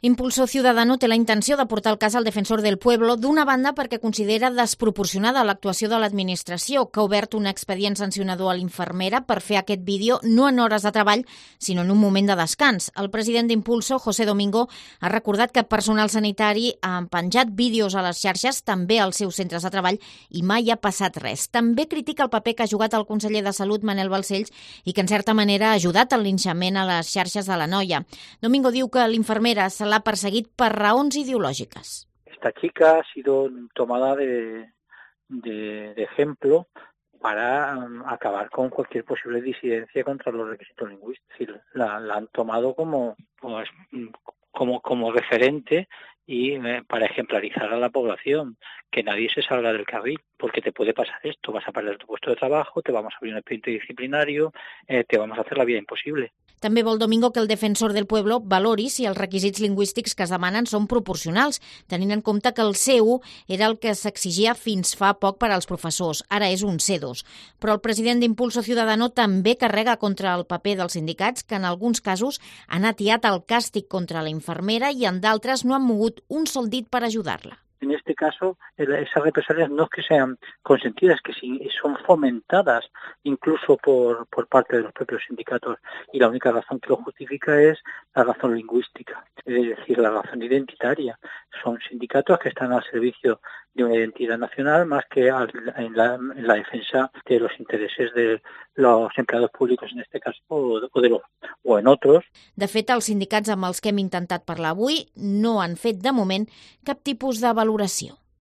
Impulso Ciudadano té la intenció de portar el cas al Defensor del Pueblo, d'una banda perquè considera desproporcionada l'actuació de l'administració, que ha obert un expedient sancionador a l'infermera per fer aquest vídeo no en hores de treball, sinó en un moment de descans. El president d'Impulso, José Domingo, ha recordat que personal sanitari ha penjat vídeos a les xarxes, també als seus centres de treball, i mai ha passat res. També critica el paper que ha jugat el conseller de Salut, Manel Balcells, i que en certa manera ha ajudat al linxament a les xarxes de la noia. Domingo diu que l'infermera se l'ha perseguit per raons ideològiques. Esta chica ha sido tomada de ejemplo para acabar con cualquier posible disidencia contra los requisitos lingüísticos. La han tomado como referente y para ejemplarizar a la población, que nadie se salga del carril, porque te puede pasar esto, vas a perder tu puesto de trabajo, te vamos a abrir un expediente disciplinario, te vamos a hacer la vida imposible. També vol Domingo que el Defensor del Pueblo valori si els requisits lingüístics que es demanen són proporcionals, tenint en compte que el C1 era el que s'exigia fins fa poc per als professors, ara és un C2. Però el president d'Impulso Ciudadano també carrega contra el paper dels sindicats, que en alguns casos han atiat el càstig contra la infermera i en d'altres no han mogut un sol dit per ajudar-la. En este caso, esas represalias no es que sean consentidas, que sí son fomentadas incluso por parte de los propios sindicatos, y la única razón que lo justifica es la razón lingüística, es decir, la razón identitaria. Son sindicatos que están al servicio de una identidad nacional más que en la defensa de los intereses de los empleados públicos, en este caso, o en otros. De fet, els sindicats amb els que hem intentat parlar avui no han fet, de moment, cap tipus de valoració.